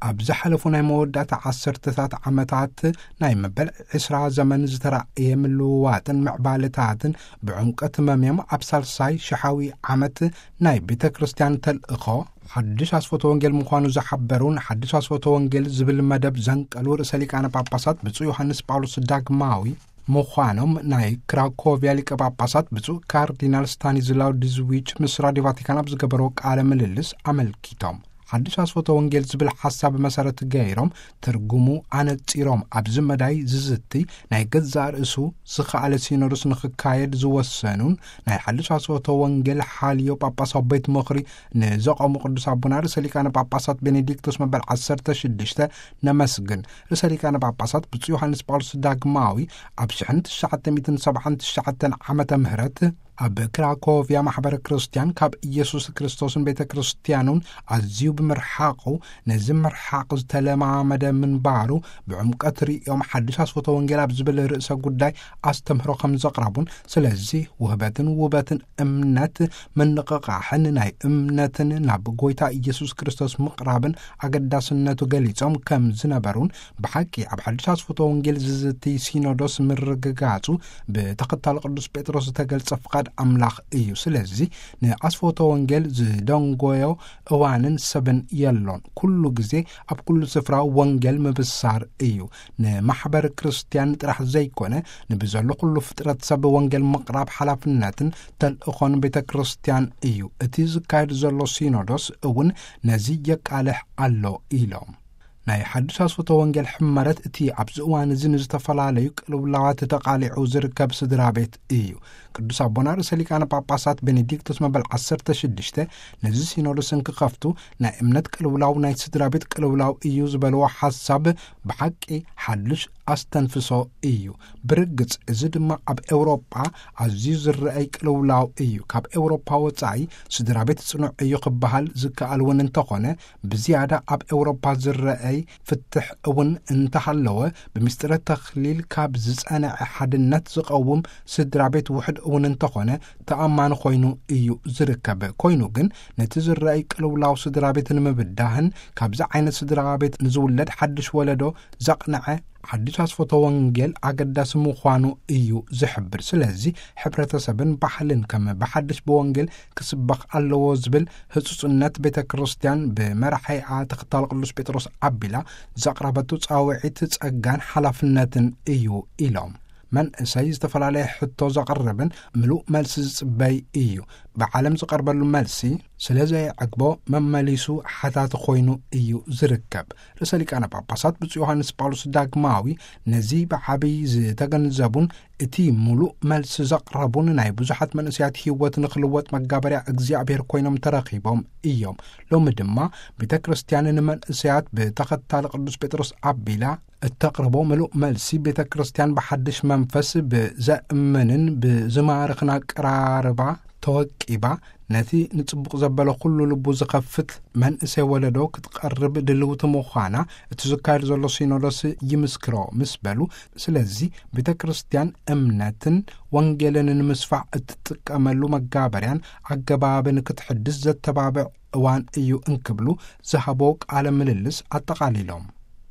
ኣብ ዝሓለፉ ናይ መወዳእታ ዓሰርተታት ዓመታት ናይ መበል ዕስራ ዘመን ዝተራእየ ምልውዋጥን ምዕባለታትን ብዕምቀት መምዮም ኣብ ሳልሳይ ሽሓዊ ዓመት ናይ ቤተ ክርስቲያን ተልእኾ ሓድሽ ኣስፈቶ ወንጌል ምዃኑ ዝሓበሩን ሓድሽ ኣስፈቶ ወንጌል ዝብል መደብ ዘንቀሉ ርእሰ ሊቃነ ጳጳሳት ብፁዕ ዮሃንስ ጳውሎስ ዳግማዊ ምዃኖም ናይ ክራኮቪያ ሊቀ ጳጳሳት ብፁዕ ካርዲናል ስታኒዝላው ድዝዊች ምስ ራዲዮ ቫቲካን ኣብ ዝገበረዎ ቃለ ምልልስ ኣመልኪቶም። ሓድሽ ኣስፈቶ ወንጌል ዝብል ሓሳብ መሰረት ገይሮም ትርጉሙ ኣነጺሮም ኣብዚ መዳይ ዝዝቲ ናይ ገዛእ ርእሱ ዝኸኣለ ሲኖዶስ ንኽካየድ ዝወሰኑን ናይ ሓድሽ ኣስፈቶ ወንጌል ሓልዮ ጳጳሳዊ ቤት ምኽሪ ንዘቐሙ ቅዱስ ኣቦና ርእሰ ሊቃነ ጳጳሳት ቤኔዲክቶስ መበል ዓሰርተ ሽዱሽተ ነመስግን። ርእሰ ሊቃነ ጳጳሳት ብፁዕ ዮሃንስ ጳውሎስ ዳግማዊ ኣብ ሽሕን ትሽዓተ ሚእትን ሰብዓን ትሽዓተን ዓመተ ምህረት ኣብ ክራኮቪያ ማሕበረ ክርስቲያን ካብ ኢየሱስ ክርስቶስን ቤተ ክርስቲያኑን ኣዝዩ ብምርሓቑ፣ ነዚ ምርሓቕ ዝተለማመደ ምንባሩ ብዕምቀት ርእዮም ሓድሽ ኣስፈቶ ወንጌል ኣብ ዝብል ርእሰ ጉዳይ ኣስተምህሮ ከም ዘቕረቡን፣ ስለዚ ውህበትን ውበትን እምነት ምንቕቓሕን ናይ እምነትን ናብ ጎይታ ኢየሱስ ክርስቶስ ምቕራብን ኣገዳስነቱ ገሊጾም ከም ዝነበሩን፣ ብሓቂ ኣብ ሓድሽ ኣስፈቶ ወንጌል ዝዝቲ ሲኖዶስ ምርግጋጹ ብተኸታሊ ቅዱስ ጴጥሮስ ዝተገልጸ ፍቓድ ኣምላኽ እዩ። ስለዚ ንኣስፈቶ ወንጌል ዝደንጎዮ እዋንን ሰብን የሎን። ኩሉ ግዜ ኣብ ኩሉ ስፍራ ወንጌል ምብሳር እዩ። ንማሕበር ክርስቲያን ጥራሕ ዘይኮነ፣ ንብዘሎ ኩሉ ፍጥረት ሰብ ወንጌል ምቕራብ ሓላፍነትን ተልእኾን ቤተ ክርስቲያን እዩ። እቲ ዝካየድ ዘሎ ሲኖዶስ እውን ነዚ የቃልሕ ኣሎ ኢሎም። ናይ ሓድሽ ኣስፈቶ ወንጌል ሕመረት እቲ ኣብዚ እዋን እዚ ንዝተፈላለዩ ቅልውላዋት ተቓሊዑ ዝርከብ ስድራ ቤት እዩ። ቅዱስ ኣቦና ርእሰ ሊቃነ ጳጳሳት ቤኔዲክቶስ መበል ዓሰርተ ሽዱሽተ ነዚ ሲኖዶስ እንክኸፍቱ ናይ እምነት ቅልውላው ናይ ስድራ ቤት ቅልውላው እዩ ዝበልዎ ሓሳብ ብሓቂ ሓድሽ ኣስተንፍሶ እዩ። ብርግጽ እዚ ድማ ኣብ ኤውሮጳ ኣዝዩ ዝረኣይ ቅልውላው እዩ። ካብ ኤውሮጳ ወጻኢ ስድራ ቤት ጽኑዕ እዩ ክበሃል ዝከኣል እውን እንተኾነ፣ ብዝያዳ ኣብ ኤውሮጳ ዝረኣይ ፍትሕ እውን እንተሃለወ፣ ብምስጢረ ተኽሊል ካብ ዝጸንዐ ሓድነት ዝቐውም ስድራ ቤት ውሕድ እውን እንተኾነ፣ ተኣማኒ ኮይኑ እዩ ዝርከብ። ኮይኑ ግን ነቲ ዝረኣይ ቅልውላው ስድራ ቤት ንምብዳህን ካብዚ ዓይነት ስድራ ቤት ንዝውለድ ሓድሽ ወለዶ ዘቕንዐ ሓድሽ ኣስፈቶ ወንጌል ኣገዳሲ ምዃኑ እዩ ዝሕብር። ስለዚ ሕብረተሰብን ባህልን ከም ብሓድሽ ብወንጌል ክስበኽ ኣለዎ ዝብል ህጹጽነት ቤተ ክርስቲያን ብመራሒኣ ተኸታሊ ቅዱስ ጴጥሮስ ኣቢላ ዘቕረበቱ ጻውዒት ጸጋን ሓላፍነትን እዩ ኢሎም። መንእሰይ ዝተፈላለየ ሕቶ ዘቕርብን ምሉእ መልሲ ዝጽበይ እዩ። ብዓለም ዝቐርበሉ መልሲ ስለ ዘየዕግቦ መመሊሱ ሓታቲ ኮይኑ እዩ ዝርከብ። ርእሰ ሊቃነ ጳጳሳት ብፁዕ ዮሃንስ ጳውሎስ ዳግማዊ ነዚ ብዓብይ ዝተገንዘቡን እቲ ምሉእ መልሲ ዘቕረቡን ናይ ብዙሓት መንእሰያት ህይወት ንኽልወጥ መጋበርያ እግዚኣብሔር ኮይኖም ተረኺቦም እዮም። ሎሚ ድማ ቤተ ክርስቲያን ንመንእሰያት ብተኸታሊ ቅዱስ ጴጥሮስ ኣቢላ እተቕርቦ ምሉእ መልሲ ቤተ ክርስቲያን ብሓድሽ መንፈስ ብዘእምንን ብዝማርኽን ኣቀራርባ ተወቂባ ነቲ ንጽቡቕ ዘበለ ኩሉ ልቡ ዝኸፍት መንእሰይ ወለዶ ክትቐርብ ድልውቲ ምዃና እቲ ዝካየድ ዘሎ ሲኖዶስ ይምስክሮ ምስ በሉ፣ ስለዚ ቤተ ክርስቲያን እምነትን ወንጌልን ንምስፋሕ እትጥቀመሉ መጋበርያን ኣገባብን ክትሕድስ ዘተባብዕ እዋን እዩ እንክብሉ ዝሃቦ ቃለ ምልልስ ኣጠቓሊሎም።